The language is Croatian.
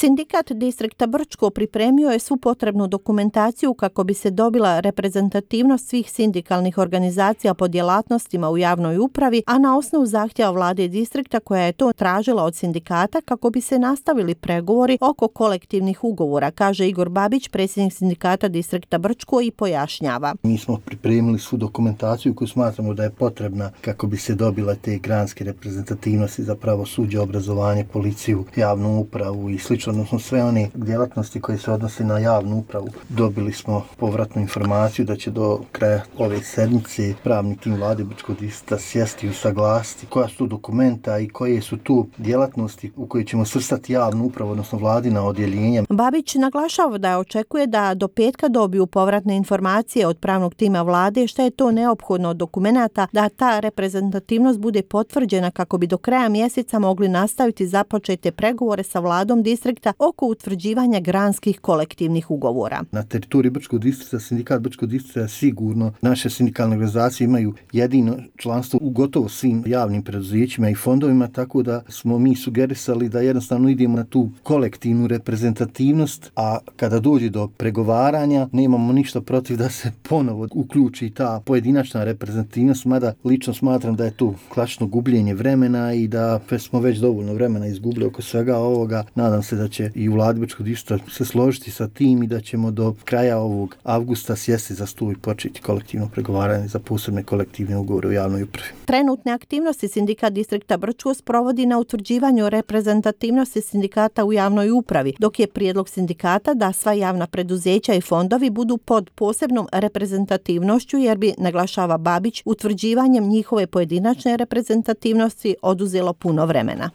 Sindikat distrikta Brčko pripremio je svu potrebnu dokumentaciju kako bi se dobila reprezentativnost svih sindikalnih organizacija po djelatnostima u javnoj upravi, a na osnovu zahtjeva vlade distrikta koja je to tražila od sindikata kako bi se nastavili pregovori oko kolektivnih ugovora, kaže Igor Babić, predsjednik sindikata distrikta Brčko, i pojašnjava. Mi smo pripremili svu dokumentaciju koju smatramo da je potrebna kako bi se dobila te granske reprezentativnosti za pravosuđe, obrazovanje, policiju, javnu upravu i slično, odnosno sve one djelatnosti koje se odnose na javnu upravu. Dobili smo povratnu informaciju da će do kraja ove sedmice pravni tim vlade Brčkog distrikta sjesti i usaglasiti koja su tu dokumenta i koje su tu djelatnosti u koje ćemo svrstati javnu upravu, odnosno vladina odjeljenja. Babić naglašava da očekuje da do petka dobiju povratne informacije od pravnog tima vlade što je to neophodno od dokumenata da ta reprezentativnost bude potvrđena kako bi do kraja mjeseca mogli nastaviti započete pregovore sa vladom distrikta oko utvrđivanja granskih kolektivnih ugovora. Na teritoriji Brčkog distrikta, sindikat Brčkog distrikta sigurno naše sindikalne organizacije imaju jedino članstvo u gotovo svim javnim preduzećima i fondovima, tako da smo mi sugerisali da jednostavno idemo na tu kolektivnu reprezentativnost, a kada dođe do pregovaranja nemamo ništa protiv da se ponovo uključi ta pojedinačna reprezentativnost, mada lično smatram da je tu klasično gubljenje vremena i da smo već dovoljno vremena izgubili oko svega ovoga. Nadam se da će i u vladi Brčkog distrikta se složiti sa tim i da ćemo do kraja ovog avgusta sjesti za stol i početi kolektivno pregovaranje za posebne kolektivne ugovore u javnoj upravi. Trenutne aktivnosti sindikat distrikta Brčko sprovodi na utvrđivanju reprezentativnosti sindikata u javnoj upravi, dok je prijedlog sindikata da sva javna preduzeća i fondovi budu pod posebnom reprezentativnošću, jer bi, naglašava Babić, utvrđivanjem njihove pojedinačne reprezentativnosti oduzelo puno vremena.